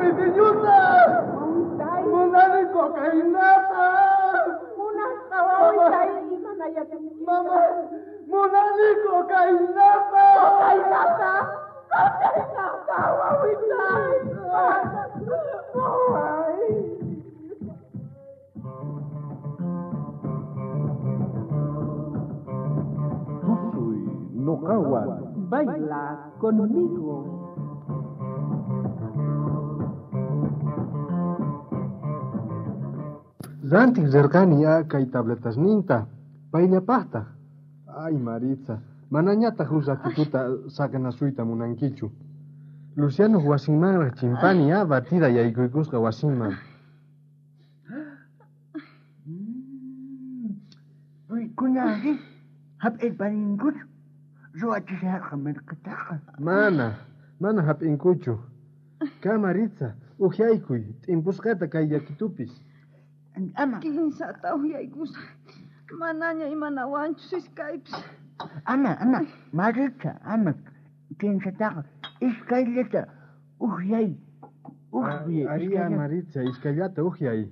pitiñuta. Munani cocainata. Munasqa wawitay imanayachunki. Mama, munani cocainata. Cocainata. Cocainata wawitay. Waway. Tusuy noqawan. Baila conmigo. Rantiq rirqani ya kay tabletasninta. Payllapaqtaq. Ay, Maritza, manañataq huk ratituta saqenasuyta munankichu. Luciano wasinmanraq chimpani ya batida yaykuykusqa wasinman. Kunanri hap'irparinkuchu ruwachisharqa mirqitaqa. Mana, mana hap'inkuchu. Ka Maritza, uhyaykuy, t'impusqata kay yakitupis. Ama. Kinsata uhyaykusaq. Manaña imanawanchus iskaypis. Ama, ama, Maritza, ama. Kinsataqa iskayllata uhyay. Uhyay. Aria Maritza, iskayllata uhyay.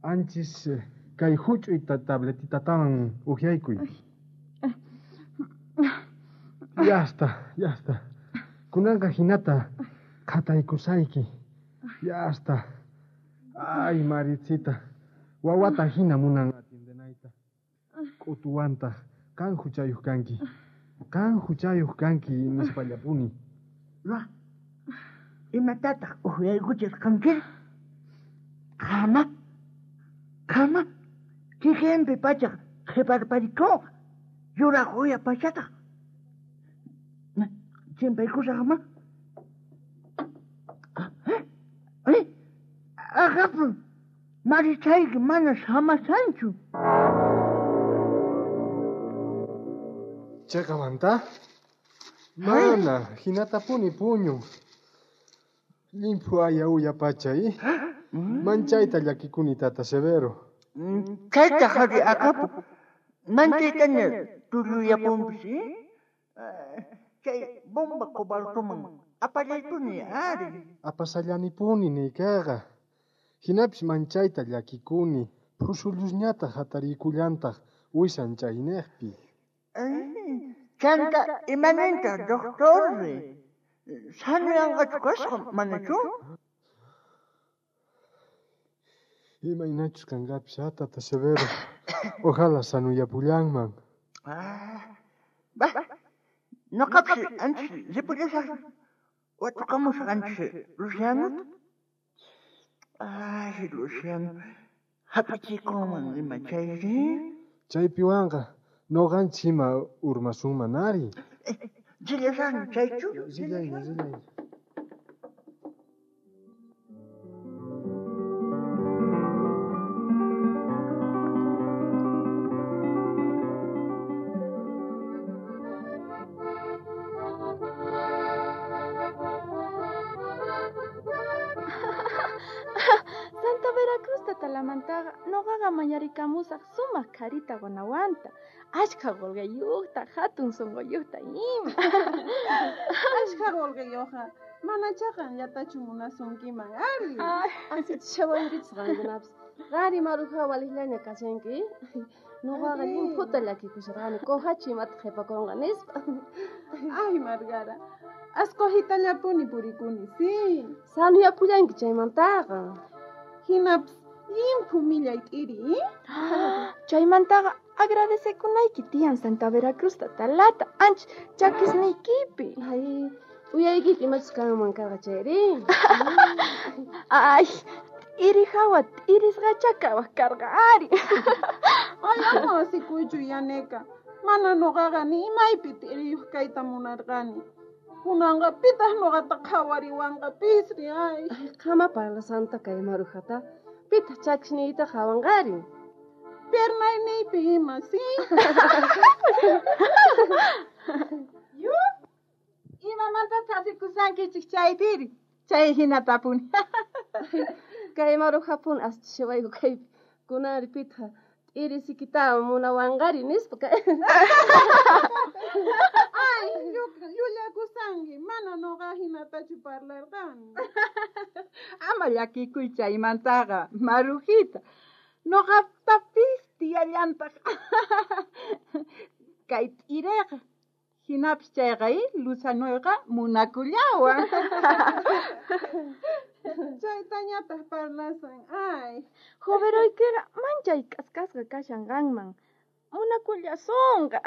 Anchis kay huch'uy tabletitatawan uhyaykuy. Ya está, ya está. Kunanqa hinata qhataykusayki. Ya está. Ay, Maritzita, wawata hina munan atiendenayta. K'utuwantaq qan huchayuq kanki. Qan huchayuq kanki nispallapuni. Ra, imatataq uhyaykuchirqanki? Qama, qama, kikinpi pachaq qhiparparikuqa, yuraq uya pachataq. Chimpaykusaqma. Ay, agapun, Marichayki mana samasanchu. Cheqamanta? Mana, hinatapuni puñun. Llimphu aya uya pachay. Manchayta llakikuni tata Severo. Chayta hari akapu. Manchaytaña tulluyapunpis, Chay bomba cobaltoman apallaypuni ari. Apasallanipuni niykaqa. Hinapis manchayta llakikuni. Phusullusñataq hatariykullantaq wisan chayniqpi. Chanta imaninta doctorri. Sanuyanqachu kasqa manachu? Imaynachus kanqapis tata Severo. Ojalá sanuyapullanman. Bah, noqapis anchis ripullasaq. Watukamusaq anchis Lucianota. Ay, Luciano, hap'ichikunman ima chayri. Chaypiwanqa noqanchis ima urmasunman ari. Rillasaqmi chaychu. Rillayña, rillayña. Santa Veracruz tatalamantaqa noqaqa mañarikamusaq sumaq qharita qonawanta, achkha qullqiyuqta, hatun sunquyuqta ima. Achkha qullqiyuqqa manacha qanllatachu munasunkiman ari. Asichishawankichis qankunapis. Qari maruja waliqllaña kashanki. Noqaqa llimphuta llakikusharqani, kuhachu imata qhipakunqa nispa. Ay, Margara, asqojitallapuni purikuni, sí. Sanuyapullanki chaymantaqa. Hinapis llimphu millay t'iri, Chaymantaqa agradecekunayki tiyan Santa Veracruz tatalata, ancha chakisniykipi. Ay, uyaykipi imachus kanman karqa chayri. Ay, t'iri hawa t'irisqacha kawaq karqa ari. Ay, ama asikuychu yaneka. Mana noqaqa ni imaypi t'iriyuq kayta munarqani. Kunanqa pitaq noqata qhawariwanqa pisri, ay. Ay, qama parlasanta kay marujata. Pitaq chakisniyta qhawanqari. Piernayniypi ima, sí. Yu, imamantataq asikusankichik chaypiri? Chay hinatapuni. Kay marujapuni asichishawayku kaypi. Kunanri pitaq t'irisikita munawanqari nispa kay. Ay, llullakusanki, mana noqa hinatachu chaytachu parlarqani. Ama llakikuy chaymantaqa, Marujita. Noqatapis tiyallantaq. Kay t'ireqa. Hinapis chayqa Luzanoyqa munakullawan. Chaytañataq parlasan, ay. Joveroykiqa manchay k'askasqa kashan qanman. Munakullasonqa.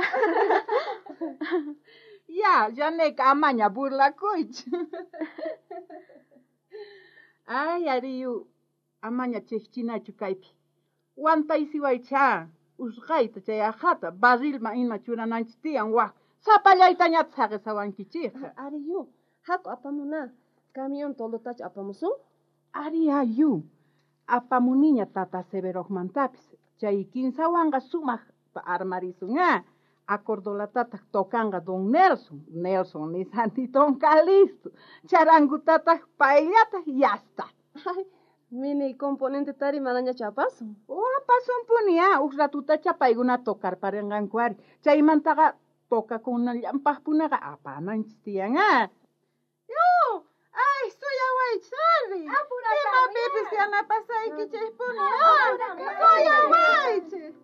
Ya, Yaneka, amaña burlakuychu. Ay, ariyu, amaña chikchinachu kaypi. Wantaysiwaycha, usqayta chay aqhata barrilman ima churananchis tiyan waj. Sapallaytañataq saqesawankichikqa. Ariyu, haku apamuna. Camión toldotachu apamusun? Ari ayu, apamuniña tata Severojmantapis. Chay kinsawanqa sumaqta armarisun, ah. Acordolatataq tocanqa don Nelson. Nelson nisani don Calisto. Charangutataq payllataq yasta. Ay, mini componente tari manañachu apasun. O apasunpuni, ah, uj ratutacha paykuna tocarparinqanku ari. Chaymantaqa tokakunallanpaqpunaqa apananchis tiyan, ah. Yu, ay, suyawaychis ari. Imapipis yanapasaykichispuni, ah. Suyawaychis.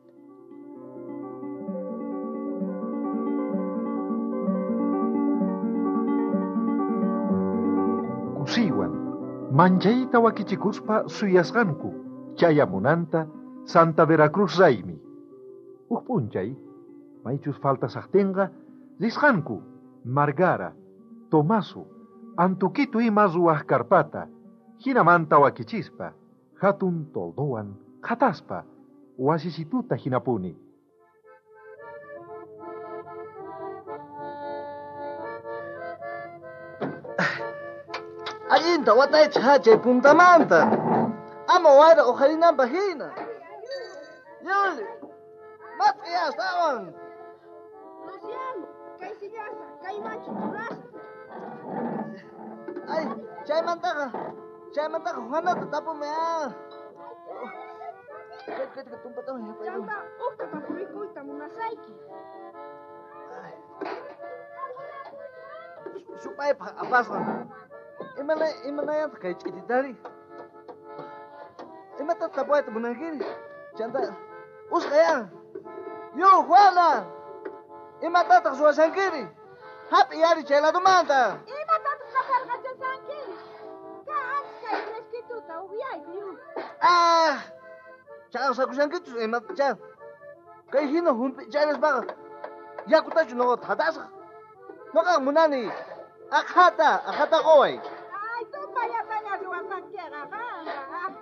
Kusiywan, manchayta wakichikuspa suyasqanku chayamunanta Santa Veracruz raymi. Uj p'unchay, maychus faltasaqtinqa risqanku Margara, Tomaso, Antuquitu ima ruwaq karpata, hinamanta wakichispa, hatun toldowan qhataspa, wasisituta hinapuni. Allinta wataychik chay puntamanta. Ama wayra uqharinanpaq hina. Yuli, mat'i astawan. Luciano, kay sillasta, kaymanchu churasaq. Ay, chaymantaqa Juanata tapumi, ah. Kay, tumpataman yapayku. Chanta, uqta tapurikuyta munasayki. Ay. Supaypaq apasqan. Imanayantaq kay ch'ititari? Imatataq tapuwayta munankiri? Chanta, usqhaya. Yu, Juana! Imatataq ruwashankiri? Hap'iy ari chay ladomanta. Imatataq qaparqachashankiri? Ka ancha kay fresquituta upyayku, yu. Ah! Ch'aqsakushankichus imatacha. Kay hina hump'i chayraspaqa yakutachu nuqa thatasaq. Nuqa munani aqhata, aqhata quway. Ay, tupallataña ruwasankiqa qanqa. Ah,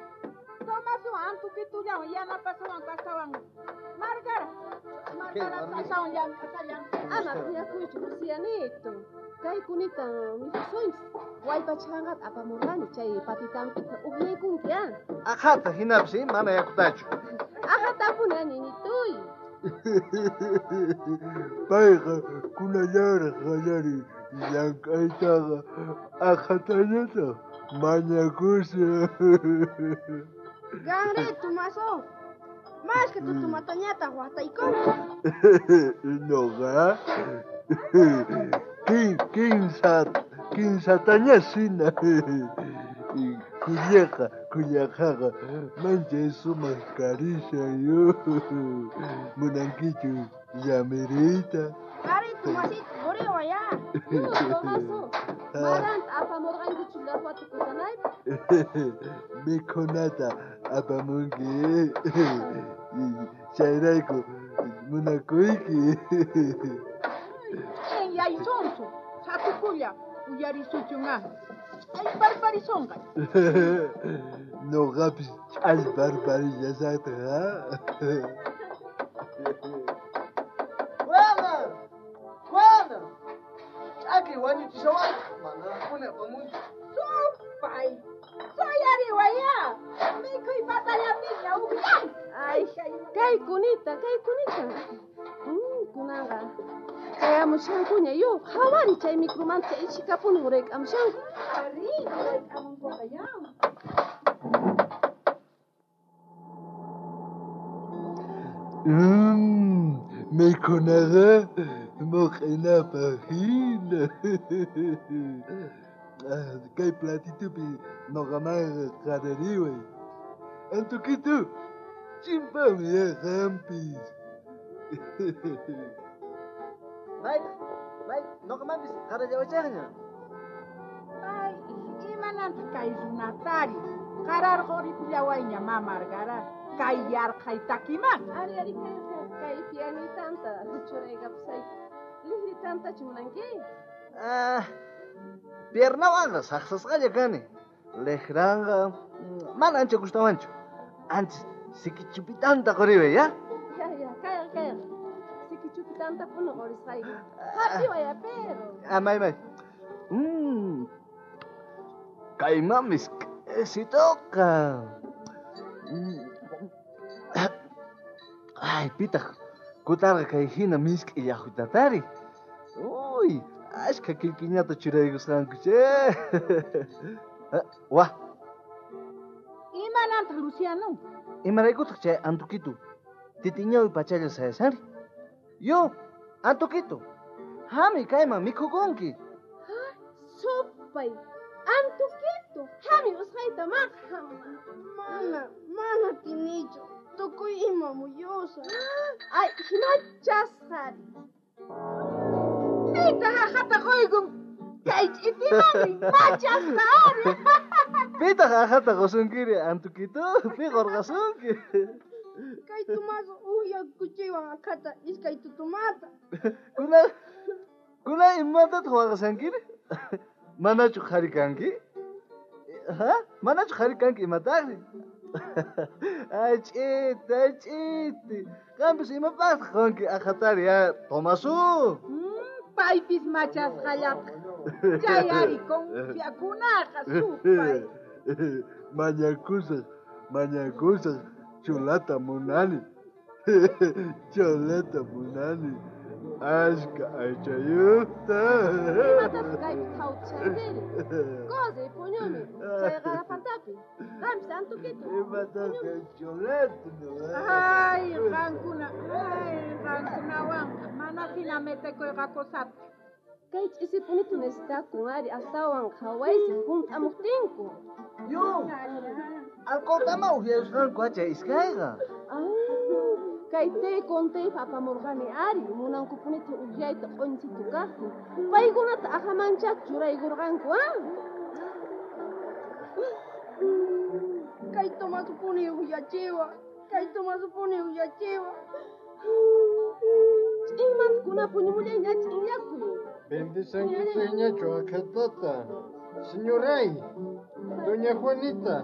Tomasuwan Antuquitullawan yanapasuwan kastawan. Margara, Margara kastawan llank'asallan. Ama phiñakuychu, Lucianito. Kay kunita mikhusunchis. Wallpachhanqata apamurqani chay patitampita upyaykunki, ah. Aqhata hinapis, mana yakutachu. Aqhatapuni, ah, ñiñituy. Payqa kunallaraq qallari llank'aytaqa aqhatañataq mañakushan. Ganri, Tomaso, mashka tutumatañataq wataykunki. Noqa kinsataña sina. Kullaqa, kullaqaqa manchay sumaq karishan, yu. Munankichu llamiriyta? Ari, Tomasito, quriway, ah. Yu, Tomaso, maranta apamurqankichu laqwata kutanaypaq? Mikhunata apamunki. Chayrayku munakuyki. Ch'inyaysunsu, satukulla uyarisuchun, ah. Ch'allparparisonqa. Noqapis ch'allparparillasaqtaq, ah. Juana! Juana! Ch'aki wañuchishawayku, manaraqpuni apamunchu. Supay! Suyariway, ah. Mikhuy patallapiña upyay. Ay, kay kunita, kay kunita. Kunanqa chayamushankuña, yu, qhawari chay micromanta ichikapuni urayk'amushanku. Ari, urayk'amunkuqa, ya. Mikhunaqa muq'inapaq hina. Kay platitupi noqamanqa qarariway. Antukitu, chimpami ya qampis. Mayta, may, noqamanpis qarallawachaqña. Ay, imanantaq kay runatari? Qararquripullawayña mamargara. Kay yarqhay takiman. Ari, ari, kay, kay pianitanta churaykapusayki. Lijri tantachu munanki? Ah, piernawanqa saqsasqalla kani. Lijranqa mana ancha gustawanchu. Antes sikichupitanta quriway, ya? Ya, ya, kayqa, kayqa. Sikichupitanta puni qurisqayki. Hap'iway, pero. Ah, may, may. Kaymanmis k'isituqa. Ay, pitaq kutarqa kay hina misk'i llaqwitatari. Uy, ashka killkiñata churaykusqanku, che. Wah. Imanantaq, Luciano? Imaraykutaq chay Antukitu titiñawi pachalla sayashanri? Yo, Antukitu, hami kayman mikhukunki. Ha, supay, Antukitu, hami usqhayta maqa. Mana, mana tinichu, tukuy ima muyusa. Ay, hinachasqari. Pitaq aqhata quykun kay ch'itimani machasqari. Pitaq aqhata qusunkiri, Antukitu? Pi qurqasunki? Kay Tomaso uhya kuchiwan aqhata iskay tutumata. Kuna imatataq waqashankiri? Manachu qhari kanki? Ha? Manachu qhari kanki imataqri? Ay, ch'iti, ay, ch'iti. Qampis imapaqtaq qunki aqhatari, ya, Tomaso? Paypis machasqallataq. Chay ari confiakunaqa supay. Mañakusaq, mañakusaq, cholata munani. Cholata munani. Ashka aychayuqta. Imatataq kaypi thawtishankiri? Corre, puñumi, chay qarapatapi. Qampis Antukitu. Imatataq kay cholata? Ay, qankuna, ay, qankunawanqa mana hina metekuyqa cosata. Kay ch'isipunitu necesitakun ari astawan qhawaysi hunt'amuqtinku. Yo, alcoholtama uhyayusqanku chay iskayqa. Ay, kay té con té apamurqani ari munankupunita uhyayta q'unchitu kaqtin. Paykunata ahamanchá churaykurqanku, ah? Kay Tomasopuni uyachiwa, kay Tomasopuni uyachiwa. Ch'inmanta kuna puñumullayña ch'inllakuy. Bendisankichikñachu aqhatata. Señoray, doña Juanita,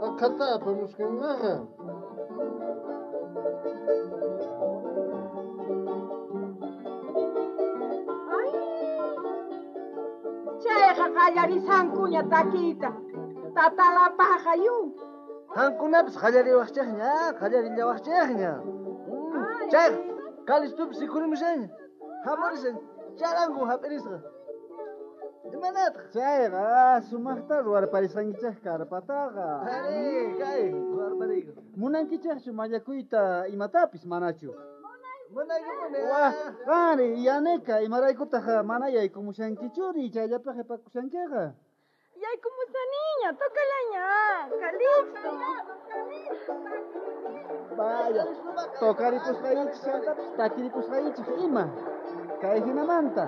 aqhata apamusqanmaqa. Ay, chayqa qallarisankuña takiyta. Tatalapaqqa yu. Qankunapis qallariwaqchikña, qallarillawaqchikña. Chayqa, Calistupis rikhurimushaña. Hamurishan, charangun hap'irisqa. Imanataq? Chayqa, sumaqta ruwarparisqankichik karpataqa. Ari, kay, ruwarpariyku. Munankichikchu mañakuyta imatapis manachu? Munaykupuni. Wah, qanri, Yaneka, imaraykutaq mana yaykumushankichuri, chayllapaq qhipakushankiqa? Yaykumusaniña, tocalaña, Calixto. Vaya, tocaripusqaykichik chantapis takiripusqaykichik ima. Kay hinamanta.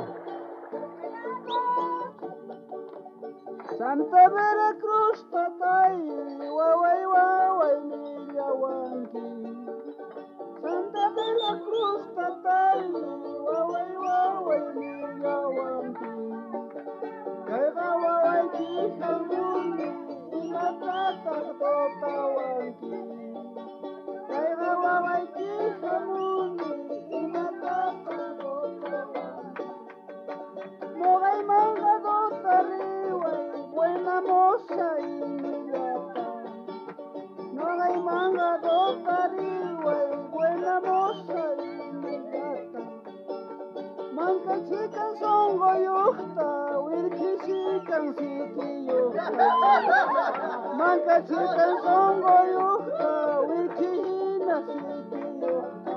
Santa Veracruz tatay, waway waway millawanki. Santa Veracruz tatay, waway waway millawanki. Kayqa wawayki hamuni, imatataq totawanki. Kayqa wawayki hamuni, imatataq totawanki. Noqaymanqa dotariway, buena moza imillata. Noqaymanqa dotariway, buena moza imillata. Mankachikan sonqoyuqta, wirkhishikan sikiyuqta. Mankachikan sonqoyuqta, wirkhihina sikiyuqta.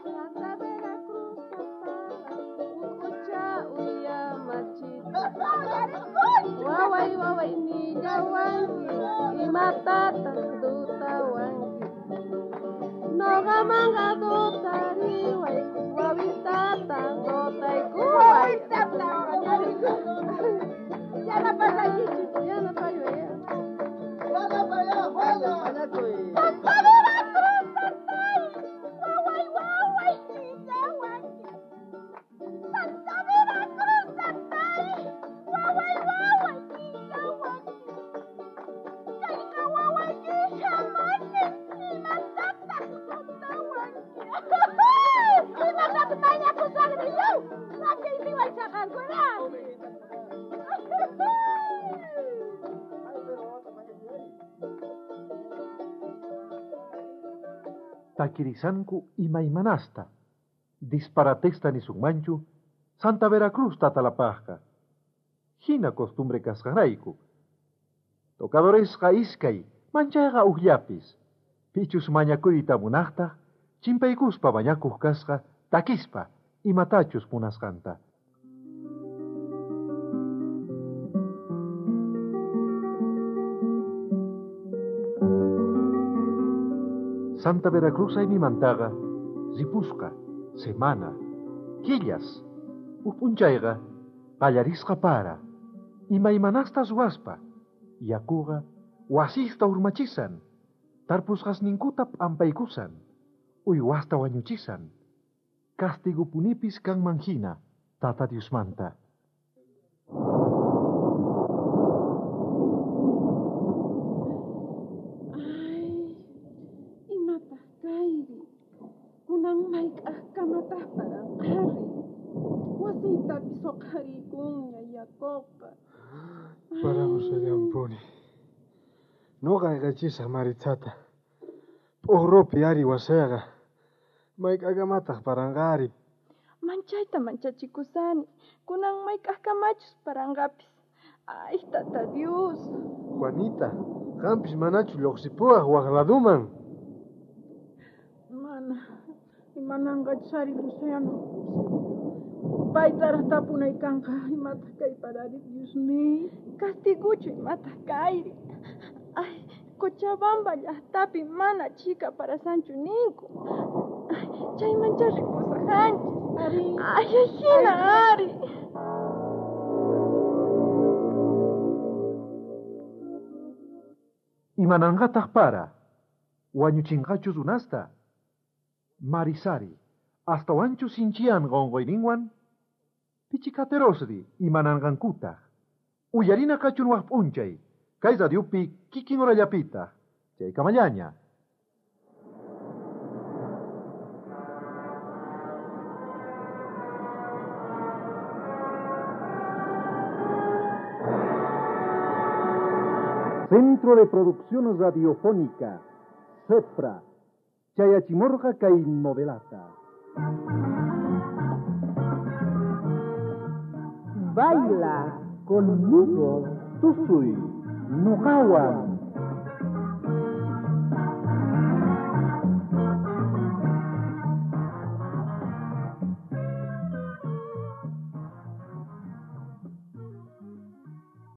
Santa Veracruz tatara, ukucha uyamachita. Waway waway nillawanki, imatataq dutawanki. Noqamanqa dutariway, wawitata dutaykuway. Yanapasaykichik, yanapayuy. Santa Veracruz tatay, waway waway nillawanki. Santa Veracruz tatay, waway waway nillawanki. Chayqa wawayki shamanin, imatataq dutawanki. Imatataq mañakusaqri yaw, rakiypiway chaqankuna. Takirisanku imaymanasta. Disparatesta nisunmanchu Santa Veracruz tatalapajqa. Hina costumbre kasqanrayku. Tocadoresqa iskay, manchayqa ujllapis. Pichus mañakuyta munaqtaq, chimpaykuspa mañakuq kasqa takispa imatachus munasqanta. Santa Veracruz aymimantaqa ripusqa, semana, killas, uj p'unchayqa qallarisqa para, imaymanasta ruwaspa, yakuqa wasista urmachisan, tarpusqasninkuta p'ampaykusan, uywasta wañuchisan, kastigupunipis kanman hina Tata Diosmanta. Ay, imataq kayri? Kunan mayk'aqkamataq paranqari? Wasiytapis uqhariykunña yakuqa. Paramushallanpuni. Noqa ayqachisaq Maritzata. P'uqrupi ari wasiyqa. Mayk'aqkamataq paranqari? Manchayta manchachikusani. Kunan mayk'aqkamachus paranqapis. Ay, tata Dios. Juanita, qampis manachu lluqsipuwaq waq laduman? Mana, imananqachus ari Luciano. Paytaraq tapunay kanqa, imataq kay parari, Dios mío. Castiguchu imataq kayri. Ay, Cochabamba llaqtapi mana chhika parasanchu ninku. Ay, chaymancha ripusaqanchis. Ari. Ay, hina ari. Imananqataq para, wañuchinqachus runasta. Marisari, astawanchu sinchiyanqa unquyninwan? Pichikaterosri imananqankutaq. Uyarina kachun waq p'unchay, kay radiopi kikin horallapitaq, chaykamallaña. Centro de Producción Radiofónica, CEPRA, Chayachimorga kay novelata. Baila conmigo, tusuy, noqawan.